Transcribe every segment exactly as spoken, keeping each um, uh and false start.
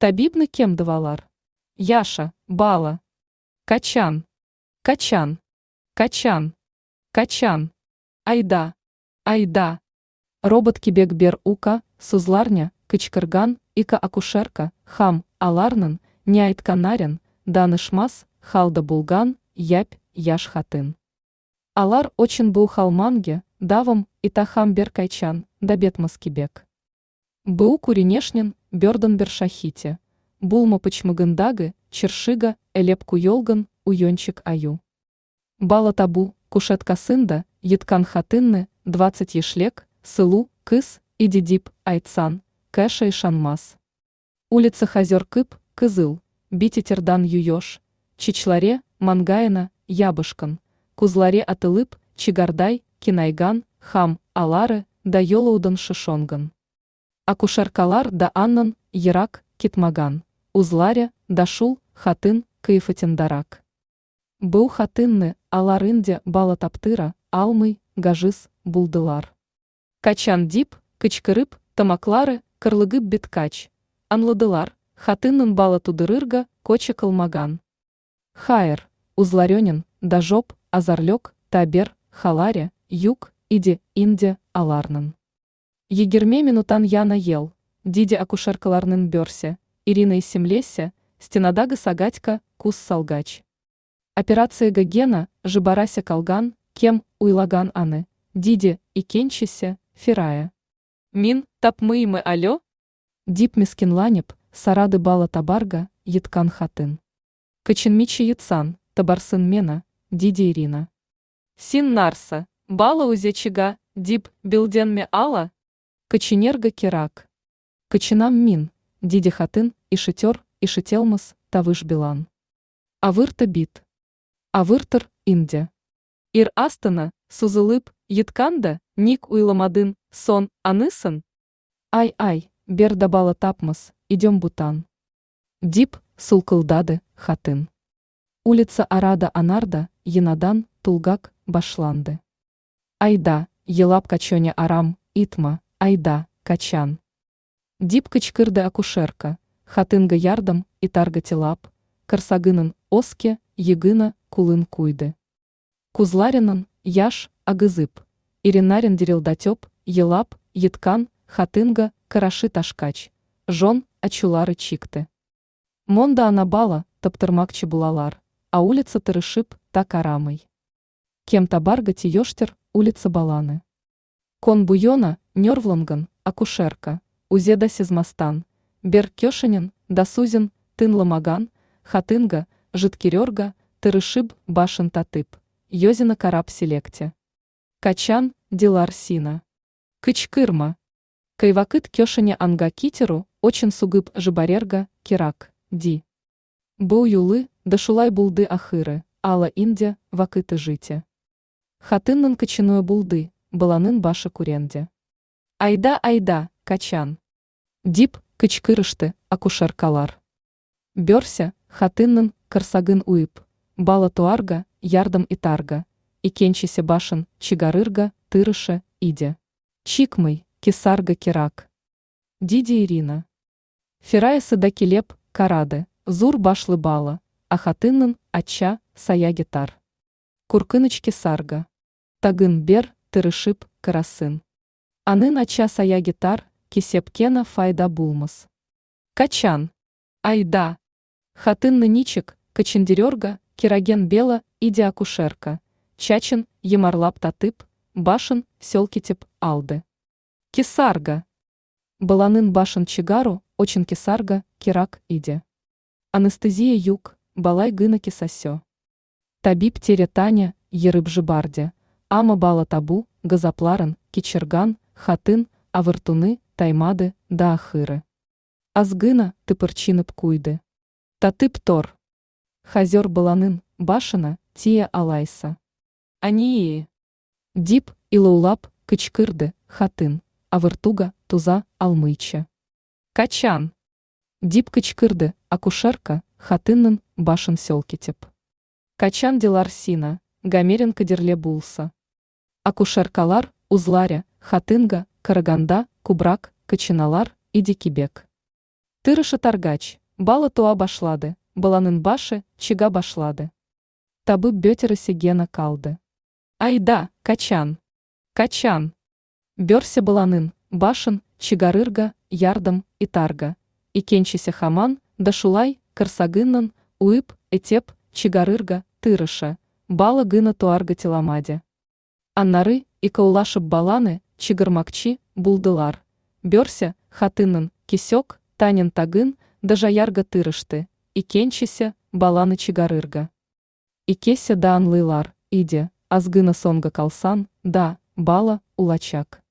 Табибны кем дывалар? Яша, бала. Качан. Качан. Качан. Качан. Айда. Айда. Робот кебек бер ука, сузларня, кычкырган, ика акушерка, хам, аларнын, не айтканнарын, данышмас, халда булган, япь, яш хатын. Алар очин бу халманге, давам, итахам беркайчан, да бетмас кебек. Бу куринешнин, бердан бершахите, булма пычмыгындагы, чершига, элеп куелган, уйончик аю. Бала табу, кушеткасында, йыткан хатынны, двадцать ешлек, сылу, кыз, иди дип, айтсан, кэша ишанмас. Улица хазер кып, кызыл, битетердан юёш, чичларе, мангайна, ябышкан, кузларе атылып, чигардай, кинайган, хам, алары, да йолаудан шишонган. Акушеркалар да аннан, ерак, китмаган, узларе, да шул, хатын, кыефатиндарак. Бу хатынны, алар инде бала таптыра, алмый, гажиз, булдылар. Качан дип, кычкырып, тамаклары, кырлыгып биткач, анладылар, хатыннын бала тудырырга, коча кылмаган. Хайр, узларенин, дажоп, азарлек, табер, халаре, юг, иди, инде, аларнын. Егерме минутан яна ел, диде акушеркаларнын берсе, Ирина исемлесе, стенадагы сагатька, кус салгач. Операция Гогена, жибарася калган, кем уйлаган аны, диде, икенчесе, фирая. Мин, тапмыймы алё? Дип мискинланеп, сарады бала табарга, йыткан хатын. Кычынмичи йытсан, табарсын мена, диде Ирина. Син нарса, бала узечига, дип, билденме ала? Коченерга керак. Кочинам мин, диде хатын, ишетер, ишетелмас, тавыш билан. Авырта бит. Авыртыр, инде. Ир астына, сузылып, йытканда, ник уйламадын, сон, анысын? Ай-ай, бер да бала тапмас, идем бутан. Дип, сулкылдады, хатын. Улица Арада Анарда, Янадан, Тулгак, башланды. Айда, елап качоня арам, итма, айда, качан. Дип кычкырды акушерка, хатынга ярдам, итарга телап, корсагынын оске, егына, кулын куйды. Кузларинын, яш, агызып, Иринарин дерилдатеп, елап, йыткан, хатынга, караши ташкач, жон, ачулары чикты. Монда ана бала, таптырмакчы булалар, а улица тырышып, так арамый. Кем табарга тиештер, улица Баланы. Кон буйона, нервланган, акушерка, узеда сезмастан, бер кешенин, дасузин, тынламаган, хатынга, житкерерга, тырышып, башын татып, йозина карап селекте. Качан, дилар сина. Кычкырма. Кайвакыт кешене анга китеру, очин сугып жибарерга, керак, ди. Бу юлы, да шулай булды ахыры, ала инде, вакыты жите. Хатыннын кочиную булды, баланын башы куренде. Айда, айда, качан. Дип, кычкырышты, акушеркалар. Берся, хатыннын, корсагын уйып, бала туарга, ярдам итарга, икенчесе башын, чигарырга, тырышы, иде. Чикмый, кисарга керак. Диде Ирина. Фираясы да келеп, карады, зур башлы бала, а хатыннын, ача, сая гитар. Куркыныч кисарга. Тагын бер, тырышып, карасын. Анын ача сая гитар, кисепкена файда булмас. Качан. Айда. Хатынны ничек, кочендерерга, кероген бела, иди акушерка. Чачин, емарлап татып, башын, селкитеп, алды. Кисарга. Баланын башын чигару, очин кисарга, керак, иде. Анестезия юг, балай гына кисасё. Табиб тере Таня, ерып жибарде, ама бала табу, газапларын, кичерган, хатын, авыртуны, таймады, да ахыры. Азгына, тыпырчинып куйды. Татып тор. Хазер баланын, башына, тия алайса. Ании. Дип, илаулап, кычкырды, хатын, авыртуга, туза, алмыйча. Качан. Дип кычкырды, акушерка, хатыннын, башын селкитеп. Качан дилар сина, гамерин кадерле булса. Акушеркалар, узларе, хатынга, караганда, кубрак, кочиналар, иди кибек. Тырыша таргач, бала туа башлады, баланын башы чыга башлады. Табып бетересе гена калды. Айда, качан? Качан? Берсе баланын башын чыгарырга ярдым итарга, икенчесе хаман да шулай корсагыннан уып, этеп чыгарырга тырыша, бала гына туарга теламади. Аннары икәүләшеп баланы чыгармакчы булдылар, берсе хатыннын кисек танен тагын да жаярга тырышты, икенчесе баланы чыгарырга. Икесе да аңлыйлар иде, аз гына соңга калсан да, бала улачак.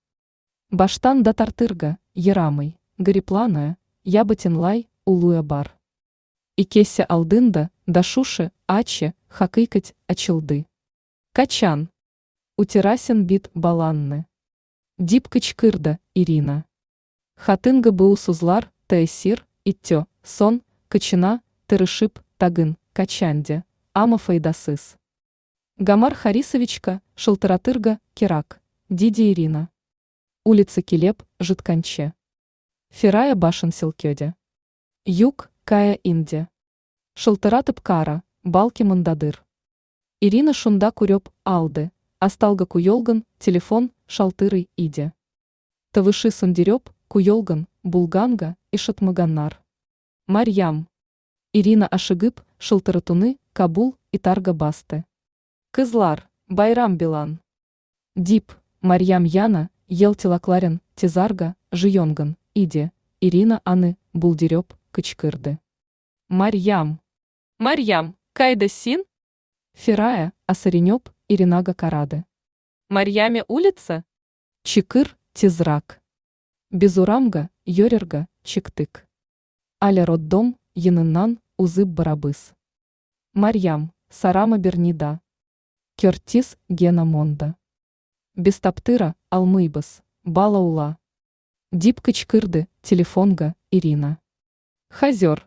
Баштан да тартырга ярамый, гариплана, я бөтенләй үлүе бар. Икесе алдында да шушы ачы хакыйкать ачылды. Качан? Үтерәсең бит баланны. Дип кычкырды Ирина. Хатынга бу сүзләр тәэсир итте, соң, кычына тырышып тагын качан ди, әмма файдасыз. Гомар Харисовичка шылтыратырга кирәк, диде Ирина. Улица килеп җиткәнче. Фирая башын селкеде. Юк, кая инде. Шылтыратып кара, бәлки мондадыр. Ирина шунда күреп алды, өстәлгә куелган телефон шалтырый иде. Тавышы сүндереп куелган булганга ишетмәгәннәр. Марьям. Ирина ашыгып шылтыратуны кабул итәргә басты. Кызлар, байрам белән. Дип, Марьям яңа ел теләкләрен тезәргә җыенган иде, Ирина аны бүлдереп кычкырды. Марьям! Марьям, кайда син? Фирая, әсәренеп, Иринага карады. Марьяме улица? Чыкыр тизрәк. Без урамга йөрергә чыктык. Әле роддом яныннан узып барабыз. Марьям, сорама берни дә. Кер тиз генә монда. Без таптыра алмыйбыз, бала үлә. Дип кычкырды телефонга Ирина. Хәзер.